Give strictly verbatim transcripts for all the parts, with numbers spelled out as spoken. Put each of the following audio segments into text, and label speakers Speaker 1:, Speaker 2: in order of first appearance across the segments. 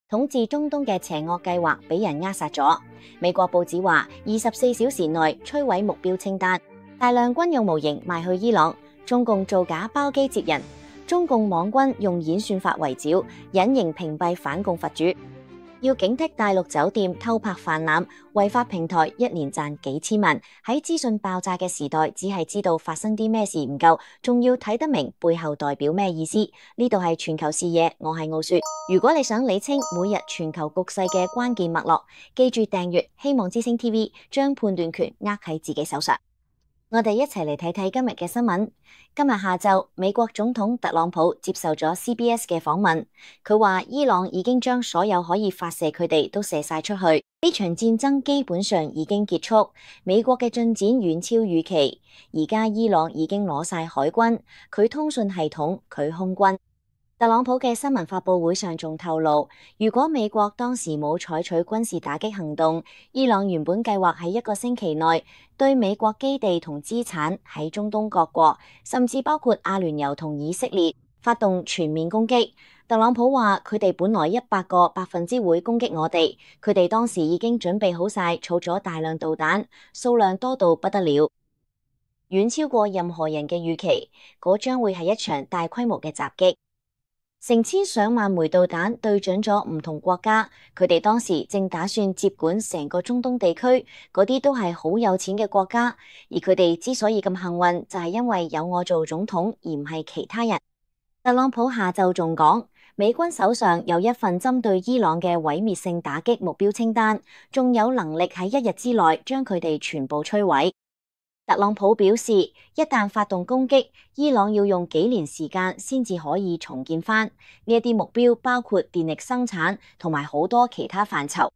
Speaker 1: 統治中東嘅邪惡計劃俾人扼殺咗。美國報紙話，二十四小時內摧毀目標清單，大量軍用模型賣去伊朗，中共造假包機接人，中共網軍用演算法圍剿，隱形屏蔽反共佛主。要警惕大陸酒店偷拍泛濫，違法平台一年賺幾千萬。喺資訊爆炸嘅時代，只係知道發生啲咩事唔夠，仲要睇得明背後代表咩意思。呢度係全球視野，我係奧雪。如果你想理清每日全球局勢嘅關鍵脈絡，記住訂閱希望之星 T V， 將判斷權握喺自己手上。我哋一齊嚟睇睇今日嘅新聞。今日下晝，美國總統特朗普接受咗 C B S 嘅訪問，佢話伊朗已經將所有可以發射佢哋都射晒出去，呢場戰爭基本上已經結束。美國嘅進展遠超預期，而家伊朗已經攞晒海軍、佢通訊系統、佢空軍。特朗普嘅新聞發佈會上仲透露，如果美國當時冇採取軍事打擊行動，伊朗原本計劃喺一個星期內對美國基地同資產喺中東各國，甚至包括阿聯酋同以色列發動全面攻擊。特朗普話佢哋本來一百個百分之會攻擊我哋，佢哋當時已經準備好晒，儲咗大量導彈，數量多到不得了，遠超過任何人嘅預期。嗰將會係一場大規模嘅襲擊。成千上萬枚導彈對準咗唔同國家，佢哋當時正打算接管成個中東地區，嗰啲都係好有錢嘅國家，而佢哋之所以咁幸運，就係因為有我做總統，而唔係其他人。特朗普下晝仲講，美軍手上有一份針對伊朗嘅毀滅性打擊目標清單，仲有能力喺一日之內將佢哋全部摧毀。特朗普表示，一旦發動攻擊，伊朗要用幾年時間先至可以重建返。呢一啲目標包括電力生產同埋好多其他範疇。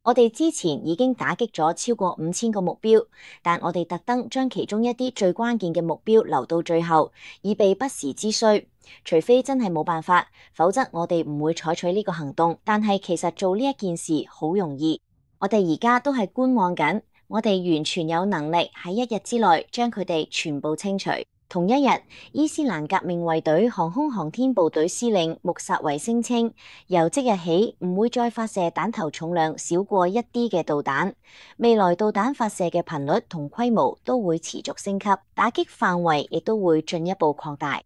Speaker 1: 我哋之前已經打擊咗超過五千個目標，但我哋特登將其中一啲最關鍵嘅目標留到最後，以備不時之需。除非真係冇辦法，否則我哋唔會採取呢個行動。但係其實做呢一件事好容易，我哋而家都係觀望緊。我哋完全有能力喺一日之內將佢哋全部清除。同一日，伊斯蘭革命衛隊航空航天部隊司令穆薩維聲稱，由即日起唔會再發射彈頭重量少過一啲嘅導彈，未來導彈發射嘅頻率同規模都會持續升級，打擊範圍亦都會進一步擴大。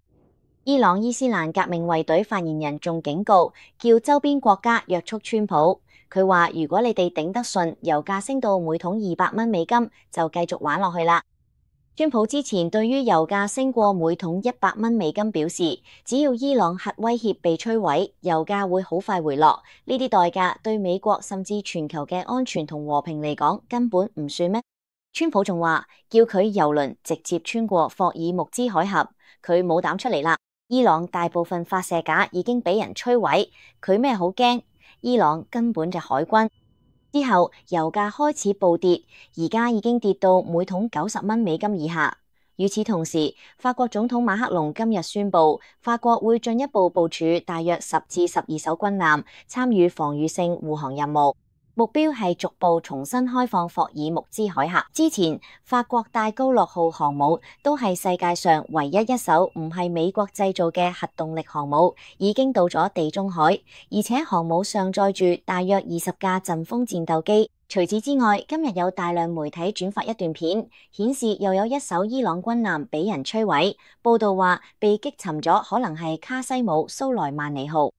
Speaker 1: 伊朗伊斯蘭革命衛隊發言人仲警告，叫周邊國家約束川普。佢話：如果你哋頂得順，油價升到每桶二百蚊美金，就繼續玩落去啦。川普之前對於油價升過每桶一百蚊美金表示，只要伊朗核威脅被摧毀，油價會好快回落。呢啲代價對美國甚至全球嘅安全同和平嚟講根本唔算咩？川普仲話叫佢油輪直接穿過霍爾木茲海峽，佢冇膽出嚟啦。伊朗大部分發射架已經俾人摧毀，佢咩好驚？伊朗根本就海軍。之後油價開始暴跌，而家已經跌到每桶九十蚊美金以下。與此同時，法國總統馬克龍今日宣布，法國會進一步部署大約十至十二艘軍艦，參與防禦性護航任務。目標係逐步重新開放霍爾木茲海峽。之前法國戴高樂號航母都係世界上唯一一艘唔係美國製造嘅核動力航母，已經到咗地中海，而且航母上載住大約二十架陣風戰鬥機。除此之外，今日有大量媒體轉發一段片，顯示又有一艘伊朗軍艦俾人摧毀。報道話被擊沉咗，可能係卡西姆蘇萊曼尼號。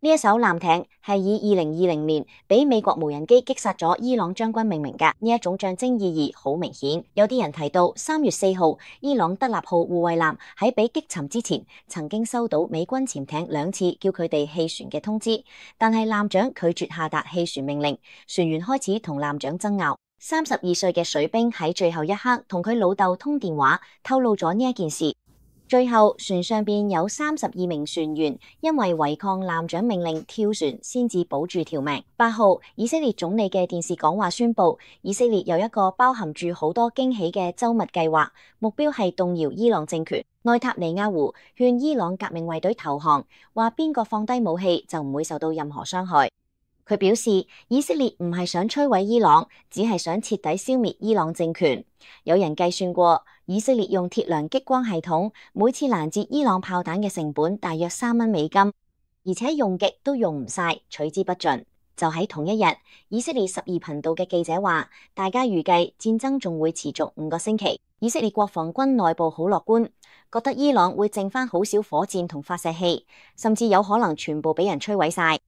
Speaker 1: 呢一艘艦艇係以二零二零年俾美國無人機擊殺咗伊朗將軍命名㗎，呢一種象徵意義好明顯。有啲人提到三月四號，伊朗德納號護衛艦喺被擊沉之前，曾經收到美軍潛艇兩次叫佢哋棄船嘅通知，但係艦長拒絕下達棄船命令，船員開始同艦長爭拗。三十二歲嘅水兵喺最後一刻同佢老豆通電話，透露咗呢一件事。最後船上邊有三十二名船員因為違抗艦長命令跳船，先至保住條命。八號，以色列總理嘅電視講話宣布，以色列有一個包含住好多驚喜嘅周密計劃，目標係動搖伊朗政權。內塔尼亞胡勸伊朗革命衛隊投降，話邊個放低武器就唔會受到任何傷害。佢表示，以色列唔係想摧毀伊朗，只係想徹底消滅伊朗政權。有人計算過，以色列用鐵糧激光系統，每次攔截伊朗炮彈嘅成本大約三蚊美金。而且用極都用唔晒，取之不盡。就喺同一日，以色列十二頻道嘅記者話，大家預計戰爭仲會持續五個星期。以色列國防軍內部好樂觀，覺得伊朗會剩翻好少火箭同發射器，甚至有可能全部俾人摧毀晒。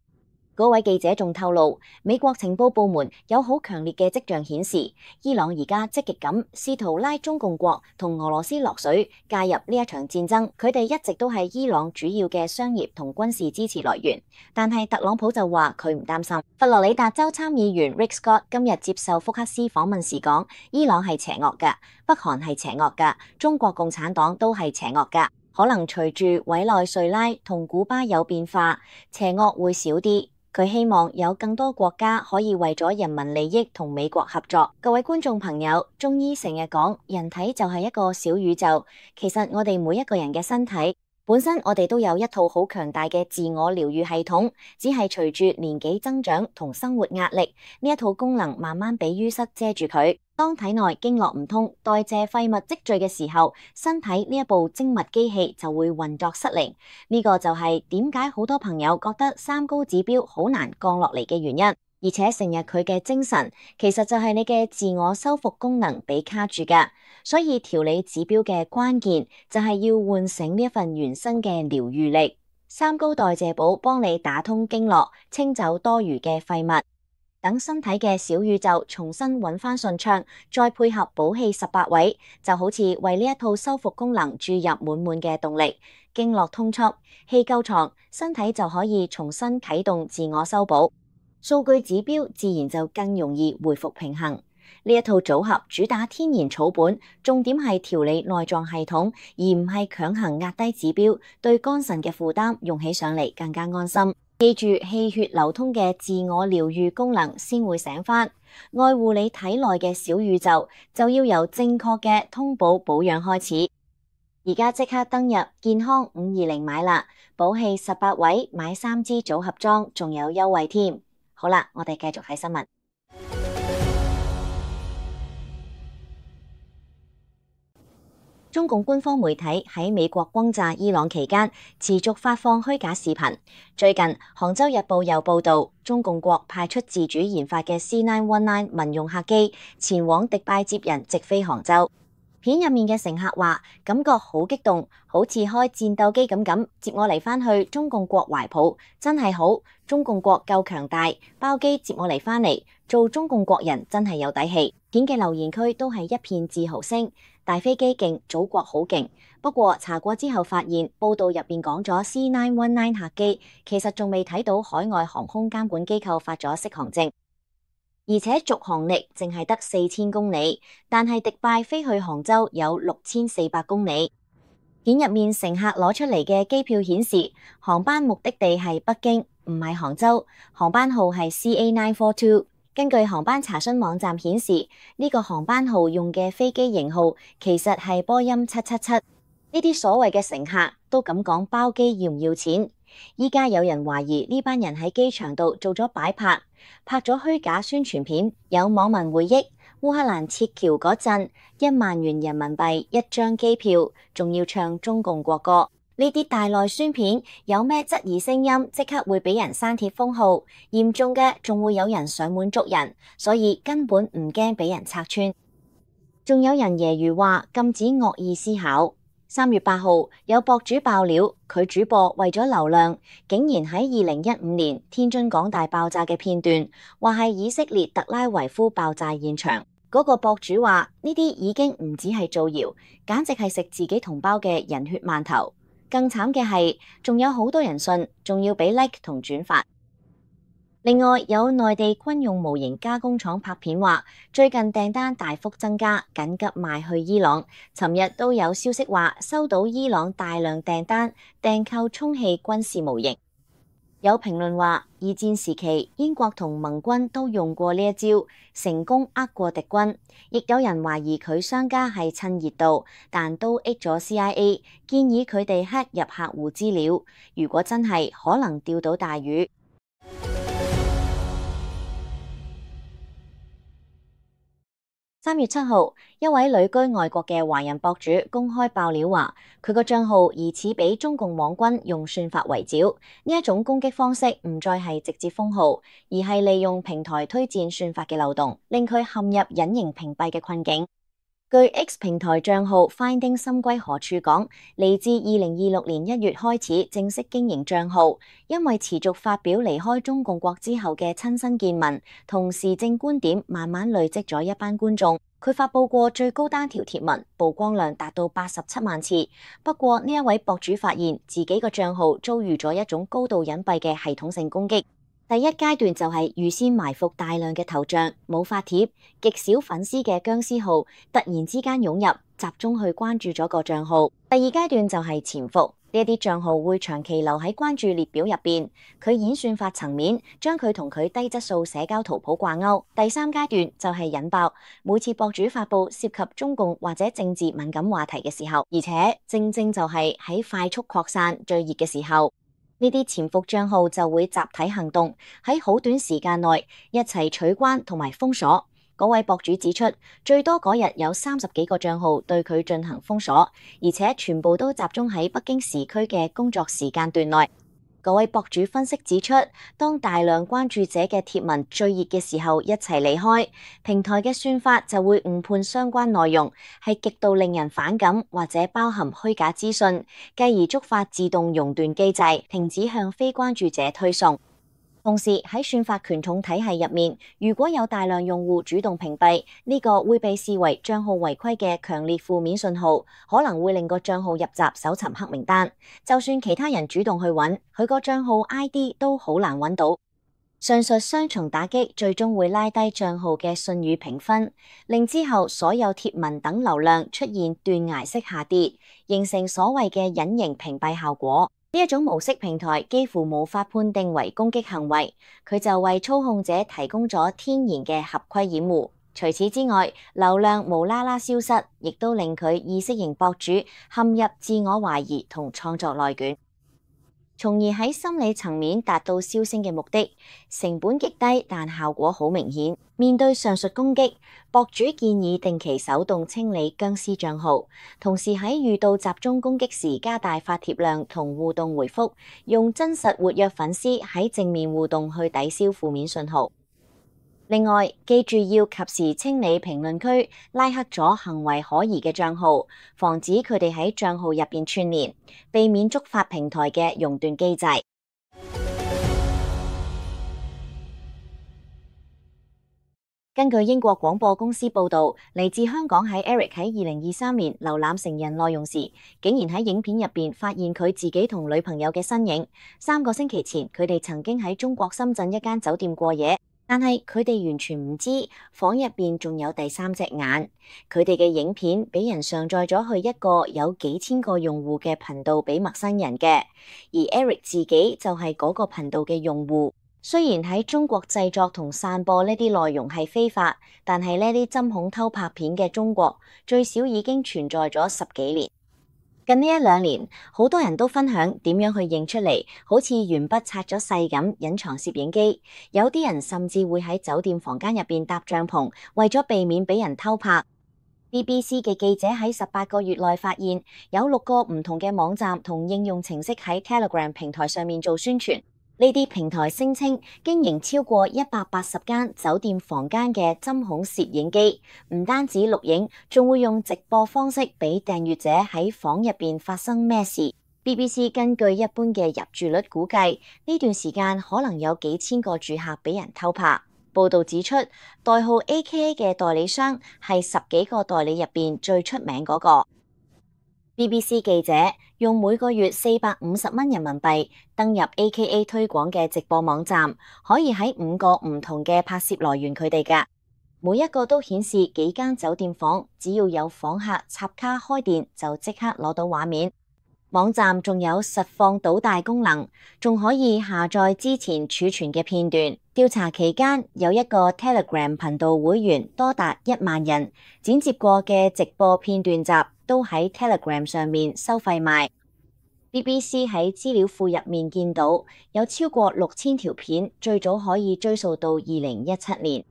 Speaker 1: 嗰位記者仲透露，美國情報部門有好強烈嘅跡象顯示，伊朗而家積極咁試圖拉中共國同俄羅斯落水，介入呢一場戰爭。佢哋一直都係伊朗主要嘅商業同軍事支持來源。但係特朗普就話佢唔擔心。佛羅里達州參議員 Rick Scott 今日接受福克斯訪問時講，伊朗係邪惡㗎，北韓係邪惡㗎，中國共產黨都係邪惡㗎。可能隨住委內瑞拉同古巴有變化，邪惡會少啲。佢希望有更多國家可以為咗人民利益同美國合作。各位觀眾朋友，中醫成日講人體就係一個小宇宙，其實我哋每一個人嘅身體本身我哋都有一套好強大嘅自我療癒系統，只係隨住年紀增長同生活壓力，呢一套功能慢慢俾淤塞遮住佢。當體內經絡唔通，代謝廢物積聚嘅時候，身體呢一部精密機器就會運作失靈。呢個就係點解好多朋友覺得三高指標好難降落嚟嘅原因。而且成日佢嘅精神，其實就係你嘅自我修復功能被卡住㗎。所以調理指標嘅關鍵就係要喚醒呢一份原生嘅療癒力。三高代謝寶幫你打通經絡，清走多餘嘅廢物。等身體嘅小宇宙重新揾返順暢，再配合補氣十八位，就好似為呢一套修復功能注入滿滿嘅動力。經絡通促，氣夠長，身體就可以重新啟動自我修補，數據指標自然就更容易回復平衡。呢一套組合主打天然草本，重點係調理內臟系統，而唔係強行壓低指標，對肝腎嘅負擔用起上嚟更加安心。記住氣血流通嘅自我療癒功能先會醒返，愛護你體內嘅小宇宙就要由正確嘅通補保養開始。而家即刻登入健康五二零買啦，補氣十八位買三支組合裝仲有優惠添。好啦，我哋繼續睇新聞。中共官方媒體喺美國轟炸伊朗期間，持續發放虛假視頻。最近，杭州日報又報道，中共國派出自主研發嘅 C 九一九民用客機前往迪拜接人，直飛杭州。片入面嘅乘客話，感覺好激動，好似開戰鬥機咁咁，接我嚟返去中共國懷抱，真係好，中共國夠強大，包機接我嚟返嚟，做中共國人真係有底氣。片嘅留言區都係一片自豪聲。大飛機勁，祖國好勁。不過查過之後發現，報道入邊講咗 C 九一九客機，其實仲未睇到海外航空監管機構發咗適航證，而且續航力淨係得四千公里，但係迪拜飛去杭州有六千四百公里。片入面乘客攞出嚟嘅機票顯示，航班目的地係北京，唔係杭州，航班號係 C A 九四二。根據航班查詢網站顯示，呢個航班號用嘅飛機型號其實係波音七七七。呢啲所謂嘅乘客都咁講包機要唔要錢？依家有人懷疑呢班人喺機場度做咗擺拍，拍咗虛假宣傳片。有網民回憶，烏克蘭撤僑嗰陣，一萬元人民幣一張機票，仲要唱中共國歌。呢啲大內宣片有咩質疑聲音，即刻會俾人刪帖封號，嚴重嘅仲會有人上門捉人，所以根本唔驚俾人拆穿。仲有人揶揄話禁止惡意思考。三月八號有博主爆料，佢主播為咗流量，竟然喺二零一五年天津港大爆炸嘅片段，話係以色列特拉維夫爆炸現場。嗰個博主話呢啲已經唔止係造謠，簡直係食自己同胞嘅人血饅頭。更慘嘅係，仲有好多人信，仲要俾 like 同轉發。另外，有內地軍用模型加工廠拍片話，最近訂單大幅增加，緊急賣去伊朗。尋日都有消息話，收到伊朗大量訂單，訂購充氣軍事模型。有評論話，二戰時期英國同盟軍都用過呢一招，成功呃過敵軍。亦有人懷疑佢商家係趁熱度，但都益咗 C I A， 建議佢哋 hack 入客戶資料。如果真係，可能釣到大魚。三月七號，一位旅居外國嘅華人博主公開爆料話，佢個賬號疑似俾中共網軍用算法圍剿。呢一種攻擊方式唔再係直接封號，而係利用平台推薦算法嘅漏洞，令佢陷入隱形屏蔽嘅困境。據 X 平台賬號 Finding 心歸何處講，嚟自二零二六年一月開始正式經營賬號，因為持續發表離開中共國之後嘅親身見聞同時政觀點，慢慢累積咗一班觀眾。佢發佈過最高單條貼文曝光量達到八十七萬次。不過呢一位博主發現自己個賬號遭遇咗一種高度隱蔽嘅系統性攻擊。第一階段就係預先埋伏大量嘅頭像、冇發帖、極少粉絲嘅僵屍號，突然之間湧入，集中去關注咗個賬號。第二階段就係潛伏，呢一啲賬號會長期留喺關注列表入邊，佢演算法層面將佢同佢低質素社交圖譜掛鈎。第三階段就係引爆，每次博主發佈涉及中共或者政治敏感話題嘅時候，而且正正就係喺快速擴散最熱嘅時候。呢啲潛伏賬號就會集體行動，喺好短時間內一齊取關同埋封鎖。嗰位博主指出，最多嗰日有三十幾個賬號對佢進行封鎖，而且全部都集中喺北京時區嘅工作時間段內。嗰位博主分析指出，當大量關注者嘅貼文最熱嘅時候一齊離開，平台嘅算法就會誤判相關內容係極度令人反感或者包含虛假資訊，繼而觸發自動熔斷機制，停止向非關注者推送。同時喺算法權重體系入面，如果有大量用戶主動屏蔽，呢個會被視為賬號違規嘅強烈負面信號，可能會令個賬號入閘搜尋黑名單。就算其他人主動去揾，佢個賬號 I D 都好難揾到。上述雙重打擊最終會拉低賬號嘅信譽評分，令之後所有貼文等流量出現斷崖式下跌，形成所謂嘅隱形屏蔽效果。呢一種模式平台幾乎無法判定為攻擊行為，佢就為操控者提供咗天然嘅合規掩護。除此之外，流量無啦啦消失，亦都令佢意識型博主陷入自我懷疑同創作內卷，從而喺心理層面達到銷聲嘅目的，成本極低，但效果好明顯。面對上述攻擊，博主建議定期手動清理僵屍賬號，同時喺遇到集中攻擊時加大發帖量同互動回覆，用真實活躍粉絲喺正面互動去抵消負面信號。另外，記住要及時清理評論區，拉黑咗行為可疑嘅賬號，防止佢哋喺賬號入邊串聯，避免觸發平台嘅熔斷機制。根據英國廣播公司報導，嚟自香港喺 Eric 喺二零二三年瀏覽成人內容時，竟然喺影片入邊發現佢自己同女朋友嘅身影。三個星期前，佢哋曾經喺中國深圳一間酒店過夜。但係佢哋完全唔知房入邊仲有第三隻眼。佢哋嘅影片俾人上載咗去一個有幾千個用戶嘅頻道俾陌生人嘅，而 Eric 自己就係嗰個頻道嘅用戶。雖然喺中國製作同散播呢啲內容係非法，但係呢啲針孔偷拍片嘅中國最少已經存在咗十幾年。近呢一兩年，好多人都分享點樣去認出嚟，好似鉛筆擦咗細咁隱藏攝影機。有啲人甚至會喺酒店房間入邊搭帳篷，為咗避免俾人偷拍。B B C 嘅記者喺十八個月內發現，有六個唔同嘅網站同應用程式喺 Telegram 平台上面做宣傳。呢啲平台聲稱經營超過一百八十間酒店房間嘅針孔攝影機，唔單止錄影，仲會用直播方式俾訂閱者喺房入邊發生咩事。B B C 根據一般嘅入住率估計，呢段時間可能有幾千個住客俾人偷拍。報道指出，代號 A K A 嘅代理商係十幾個代理入邊最出名嗰個。B B C 記者用每個月四百五十蚊人民幣登入 A K A 推廣嘅直播網站，可以喺五個唔同嘅拍攝來源佢哋㗎，每一個都顯示幾間酒店房，只要有訪客插卡開電就即刻攞到畫面。網站仲有實況倒帶功能，仲可以下載之前儲存嘅片段。調查期間，有一個 Telegram 頻道會員多達一萬人，剪接過嘅直播片段集都喺 Telegram 上面收費賣。B B C 喺資料庫入面見到有超過六千條片，最早可以追溯到二零一七年。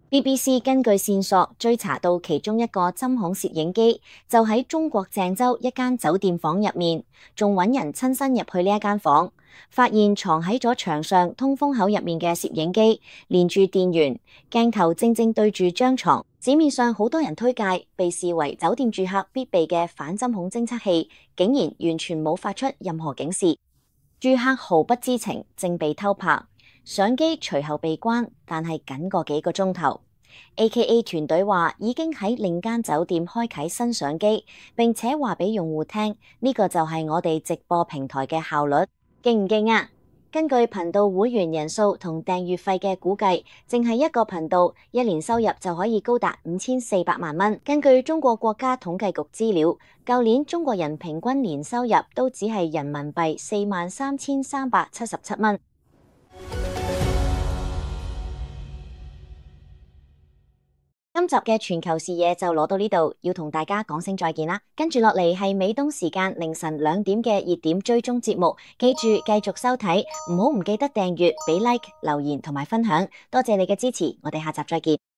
Speaker 1: B B C 根據線索追查到其中一個針孔攝影機就喺中國鄭州一間酒店房入面，仲揾人親身入去呢一間房，發現藏喺咗牆上通風口入面嘅攝影機，連住電源，鏡頭正正對住張床。市面上好多人推介，被視為酒店住客必備嘅反針孔偵測器，竟然完全冇發出任何警示，住客毫不知情，正被偷拍。相機隨後被關，但係僅個幾個鐘頭。A K A 團隊話已經喺另間酒店開啟新相機，並且話俾用戶聽，呢個就係我哋直播平台嘅效率，勁唔勁啊？根據頻道會員人數同訂閱費嘅估計，淨係一個頻道一年收入就可以高達五千四百萬蚊。根據中國國家統計局資料，舊年中國人平均年收入都只係人民幣四萬三千三百七十七蚊。今集嘅全球視野就攞到呢度，要同大家講聲再見啦。跟住落嚟係美東時間凌晨兩點嘅熱點追蹤節目，記住繼續收睇，唔好唔記得訂閱、俾 like、留言同埋分享，多謝你嘅支持，我哋下集再見。